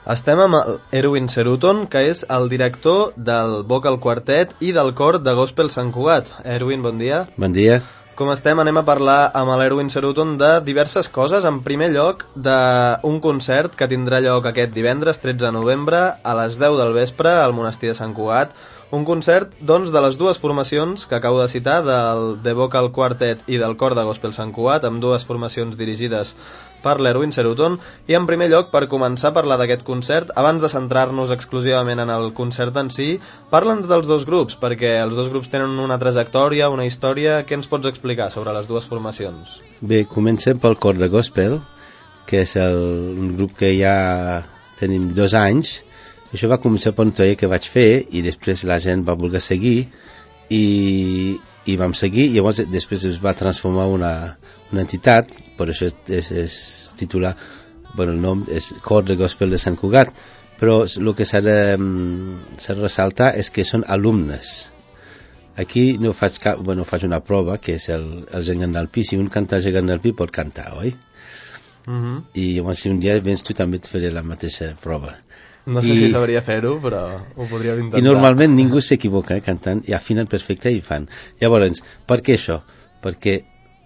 Estem amb Erwin Ceruton, que és el director del Vocal Quartet i del cor de Gospel Sant Cugat. Erwin, bon dia. Bon dia. Com estem? Anem a parlar amb l'Erwin Ceruton de diverses coses. En primer lloc, d'un concert que tindrà lloc aquest divendres, 13 de novembre, a les 10 del vespre, al Monestir de Sant Cugat. Un concert, doncs, de les dues formacions que acabo de citar, del The Vocal Quartet i del cor de Gospel Sant Cugat, amb dues formacions dirigides per l'Erwin Ceruton. I en primer lloc, per començar a parlar d'aquest concert, abans de centrar-nos exclusivament en el concert en si, parla'ns dels dos grups, perquè els dos grups tenen una trajectòria, una història. Què ens pots explicar sobre les dues formacions? Bé, comencem pel cor de Gospel, que és un grup que ja tenim 2 anys. Això va començar per un taller que vaig fer i després la gent va voler seguir i vam seguir, i llavors després es va transformar una entitat, per això és titular, el nom és Cor de Gospel de Sant Cugat, però el que s'ha de ressaltar és que són alumnes. Aquí no faig faig una prova, que és el gegant del pi. Si un canta el gegant del pi pot cantar, oi? I llavors si un dia vens tu també et faré la mateixa prova. No sé si sabria fer-ho, però ho podríem intentar. I normalment ningú s'equivoca cantant, i afinen perfecte i fan. Llavors, per què això? Perquè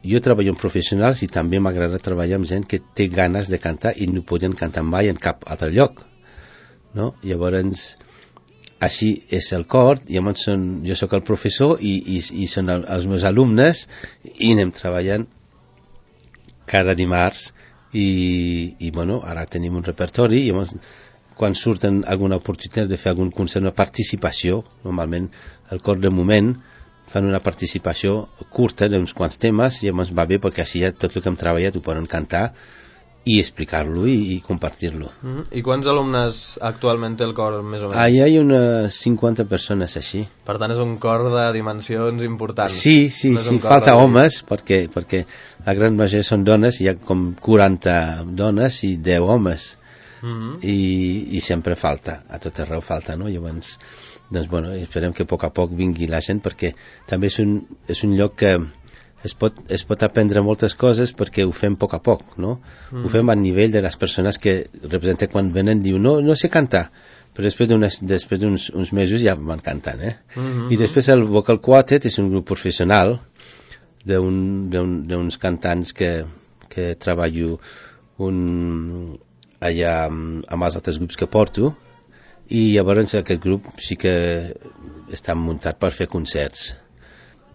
jo treballo amb professionals i també m'agrada treballar amb gent que té ganes de cantar i no poden cantar mai en cap altre lloc, no? Llavors, així és el cor. Llavors jo sóc el professor i són els meus alumnes, i anem treballant cada dimarts i ara tenim un repertori. Llavors, quan surten alguna oportunitat de fer algun concert, una participació, normalment el cor de moment fan una participació curta d'uns quants temes, i llavors va bé perquè així ja tot el que hem treballat ho poden cantar i explicar-lo i compartir-lo. I quants alumnes actualment té el cor, més o menys? Hi ha unes 50 persones així. Per tant, és un cor de dimensions importants. Sí, falta homes, perquè la gran majoria són dones, hi ha com 40 dones i 10 homes. I sempre falta, a tot arreu falta, no? Llavors, esperem que a poc vingui la gent, perquè també és un lloc que es pot aprendre moltes coses, perquè ho fem a poc, no? Ho fem a nivell de les persones que representen. Quan venen diu no sé cantar, però després d'uns mesos ja van cantant, I després el Vocal Quartet és un grup professional d'uns cantants que treballo allà amb els altres grups que porto, i llavors aquest grup sí que està muntat per fer concerts.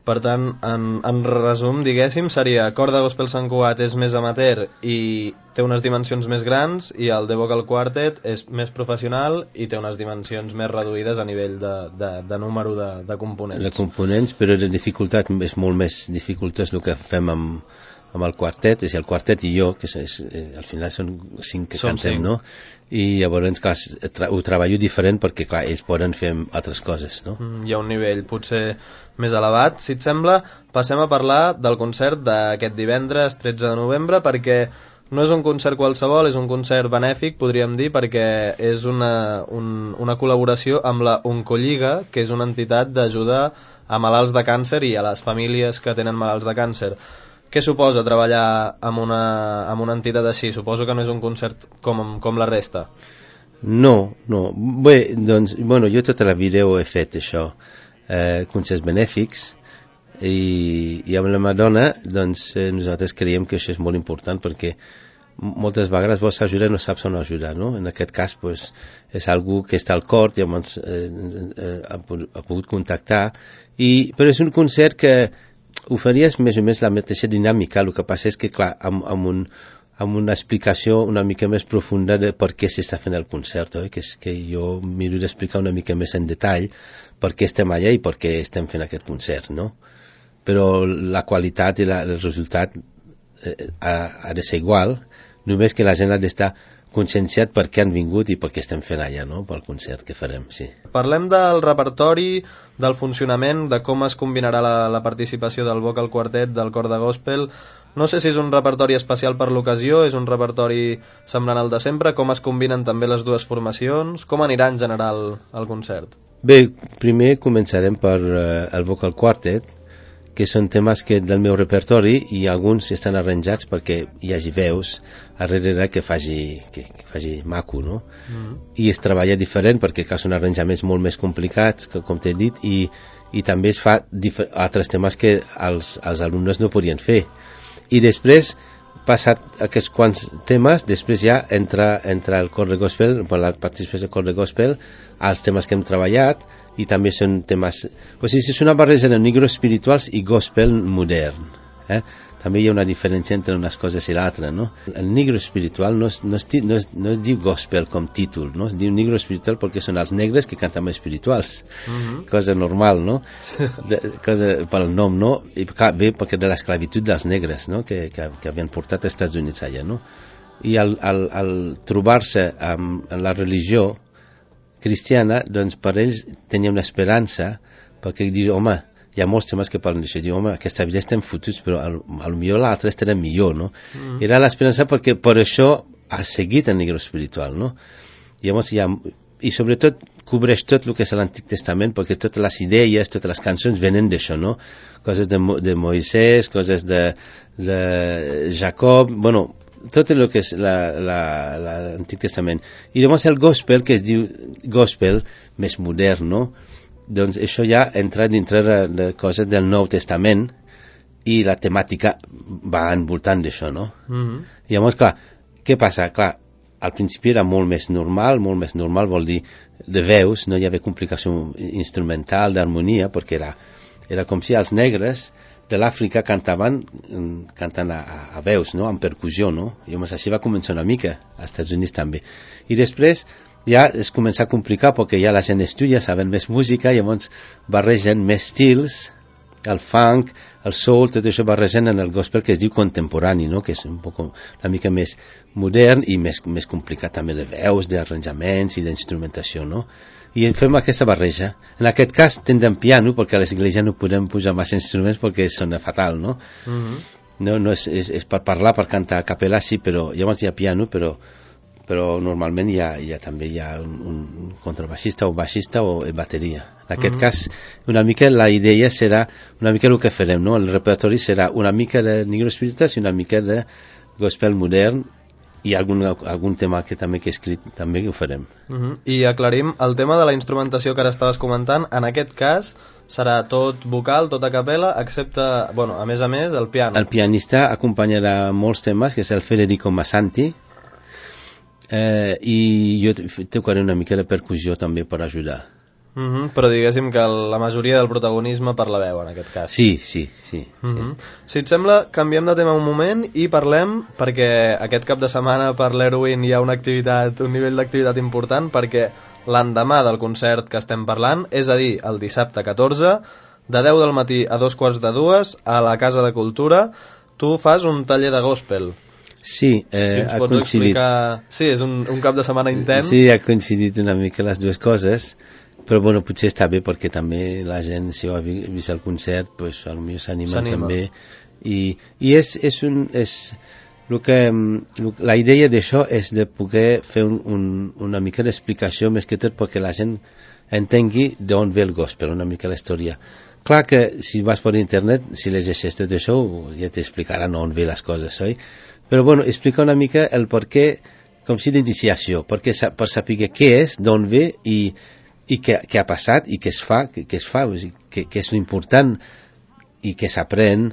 Per tant, en resum, diguéssim, seria cor de Gospel Sant Cugat és més amateur i té unes dimensions més grans, i el The Vocal Quartet és més professional i té unes dimensions més reduïdes a nivell de número de components. De components, però de dificultat és molt més dificultat el que fem amb el quartet, és el quartet i jo, que al final són 5 que cantem, no? I llavors, clar, ho treballo diferent perquè, clar, ells poden fer altres coses, no? Hi ha un nivell potser més elevat. Si et sembla, passem a parlar del concert d'aquest divendres 13 de novembre, perquè no és un concert qualsevol, és un concert benèfic, podríem dir, perquè és una col·laboració amb la Oncolliga, que és una entitat d'ajuda a malalts de càncer i a les famílies que tenen malalts de càncer. Què suposa treballar amb una entitat així? Suposo que no és un concert com la resta. No. Bé, doncs, jo tota la vida ho he fet, això, concerts benèfics, i amb la Madonna, doncs, nosaltres creiem que això és molt important, perquè moltes vegades vols ajudar i no saps on ajudar, no? En aquest cas, pues, és algú que està al cor, llavors ha pogut contactar, però és un concert que ho faries més o més la mateixa dinàmica. El que passa és que, clar, amb una explicació una mica més profunda de per què s'està fent el concert, oi? Que és que jo miro d'explicar una mica més en detall per què estem allà i per què estem fent aquest concert, no? Però la qualitat i el resultat ha de ser igual, només que la gent ha d'estar conscienciat per què han vingut i per què estem fent allà, no? Pel concert que farem, sí. Parlem del repertori, del funcionament, de com es combinarà la participació del Vocal Quartet, del cor de Gospel. No sé si és un repertori especial per l'ocasió, és un repertori semblant al de sempre, com es combinen també les dues formacions, com anirà en general el concert? Bé, primer començarem per el Vocal Quartet, que són temes que del meu repertori i alguns estan arranjats perquè hi hagi veus darrere que faci maco, no? I es treballa diferent perquè són arranjaments molt més complicats, com t'he dit, i també es fa altres temes que els alumnes no podien fer. I després, passat aquests quants temes, després ja entra el cor de gospel, per la participació del cor de gospel, als temes que hem treballat, i també són temes... O sigui, és una barreja de negros espirituals i gospel modern. També hi ha una diferència entre unes coses i l'altra, no? El negro espiritual no es diu gospel com títol, no? Es diu negro espiritual perquè són els negres que canten espirituals. Cosa normal, no? Cosa pel nom, no? I ve perquè de l'esclavitud dels negres, no? Que havien portat als Estats Units allà, no? I al trobar-se amb la religió cristiana, doncs per ells tenia una esperança, perquè diu, home, hi ha molts temes que parlen d'això, diu, home, aquesta vida estem fotuts, però potser l'altre estarà millor, no? Era l'esperança perquè per això ha seguit el negre espiritual, no? Llavors i sobretot cobreix tot el que és l'Antic Testament, perquè totes les idees, totes les cançons venen d'això, no? Coses de Moisès, coses de Jacob, bueno, tot el que és l'Antic Testament. I llavors el gospel, que es diu gospel més modern, no? Doncs això ja entra dintre de coses del Nou Testament i la temàtica va envoltant d'això, no? I llavors, clar, què passa? Clar, al principi era molt més normal vol dir de veus, no hi havia complicació instrumental, d'harmonia, perquè era com si els negres de l'Àfrica cantant a veus, no? Amb percussió, no? I llavors així va començar una mica, als Estats Units també. I després ja es comença a complicar perquè ja la gent estudia, saben més música, i llavors barregen més estils, el funk, el soul, tot això barregen en el gospel que es diu contemporani, no? Que és una mica més modern i més complicat també de veus, d'arranjaments i d'instrumentació, no? I fem aquesta barreja. En aquest cas tindrem piano, perquè a l'església no podem posar massa instruments perquè sona fatal, no? No és per parlar, per cantar a capella, sí, però llavors hi ha piano, però normalment també hi ha un contrabaixista o baixista o bateria. En aquest cas, una mica la idea serà una mica el que farem, no? El repertori serà una mica de negro espiritual i una mica de gospel modern i algun tema que també que he escrit també que ho farem. I aclarim, el tema de la instrumentació que ara estaves comentant, en aquest cas serà tot vocal, tot a capella, excepte, bueno, a més, el piano. El pianista acompanyarà molts temes, que és el Federico Massanti, i jo tocaré una mica de percussió també per ajudar. Però diguéssim que la majoria del protagonisme per la veu en aquest cas. Sí. Si et sembla, canviem de tema un moment i parlem, perquè aquest cap de setmana per l'Erwin hi ha un nivell d'activitat important, perquè l'endemà del concert que estem parlant, és a dir, el dissabte 14, de 10 del matí a 2:45 a la Casa de Cultura, tu fas un taller de gospel. Sí, ha coincidit. Sí, és un cap de setmana intens. Sí, ha coincidit una mica les dues coses, però bueno, potser està bé perquè també la gent, si ho ha vist el concert, pues, potser s'anima també. I la idea d'això és de poder fer una mica d'explicació, més que tot perquè la gent entengui d'on ve el gospel, una mica la història. Clar que si vas per internet, si llegeixes tot això, ja t'explicaran on ve les coses, oi? Però bueno, explica una mica el perquè, com si d'iniciació, per saber què és, d'on ve i què ha passat i què es fa, què és important i què s'aprèn,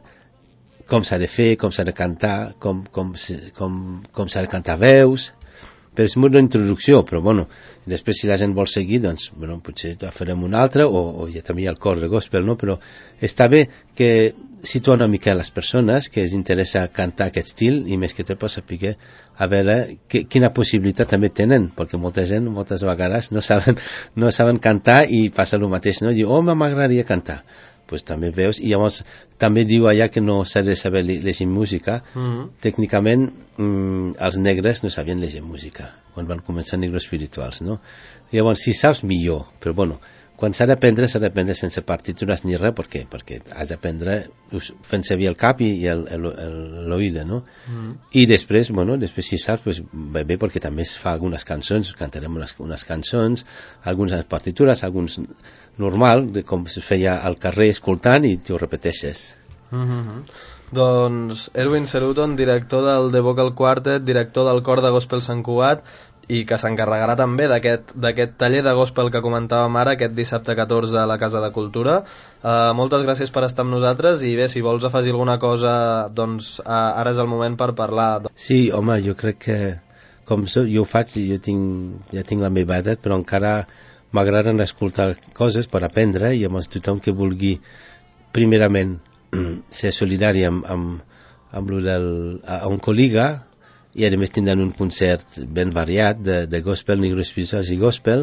com s'ha de fer, com s'ha de cantar, com s'ha de cantar veus. Però és molt d'introducció, però bueno, després si la gent vol seguir, doncs, bueno, potser farem un altre, o ja també hi ha el cor de gospel, no? Però està bé que situa una mica a les persones que els interessa cantar aquest estil, i més que tot per saber a veure quina possibilitat també tenen, perquè molta gent moltes vegades no saben cantar i passa el mateix, no? Diu, m'agradaria cantar. Pues també veus, i llavors també diu allà que no s'ha de saber llegir música. Tècnicament els negres no sabien llegir música quan van començar negres espirituals, no? Llavors si saps millor, però bueno, quan s'ha d'aprendre sense partitures ni res, perquè has d'aprendre fent servir el cap i l'oïda, no? I després, bueno, si saps, pues, va bé, perquè també es fa algunes cançons, cantarem unes cançons, algunes partitures, normal, de com es feia al carrer escoltant i t'ho repeteixes. Doncs Erwin Ceruton, director del The Vocal Quartet, director del cor de Gospel Sant Cugat, i que s'encarregarà també d'aquest taller de gospel que comentàvem ara, aquest dissabte 14 a la Casa de Cultura. Moltes gràcies per estar amb nosaltres, i bé, si vols afegir alguna cosa, doncs ara és el moment per parlar. Sí, home, jo crec que com jo ho faig, ja tinc la meva edat, però encara m'agraden escoltar coses per aprendre, i llavors tothom que vulgui primerament ser solidari amb un col·lega, i a més tindran un concert ben variat de gospel, negros espirituals i gospel,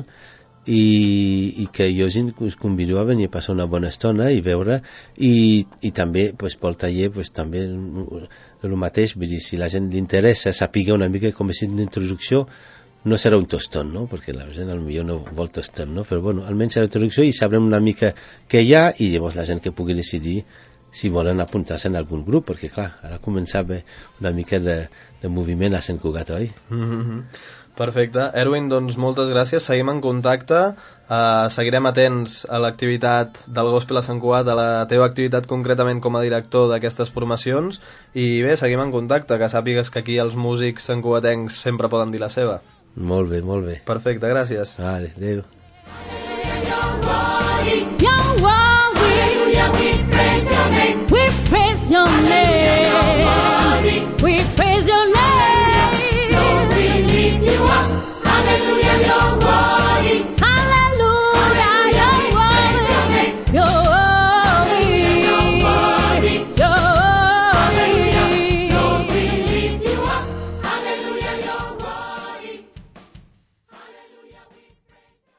i que jo us convido a venir a passar una bona estona i veure, i també pues, pel taller pues, també el mateix, vull dir, si la gent li interessa saber una mica com és una introducció, no serà un tostón, no? Perquè la gent potser no vol tostón, no? Però bueno, almenys serà introducció i sabrem una mica què hi ha, i llavors la gent que pugui decidir si volen apuntar-se en algun grup, perquè clar, ara començava una mica de moviment a Sant Cugat, oi? Perfecte. Erwin, doncs moltes gràcies, seguim en contacte, seguirem atents a l'activitat del Gospel a Sant Cugat, a la teva activitat concretament com a director d'aquestes formacions, i bé, seguim en contacte, que sàpigues que aquí els músics santcugatencs sempre poden dir la seva. Molt bé, molt bé. Perfecte, gràcies. Vale, adéu.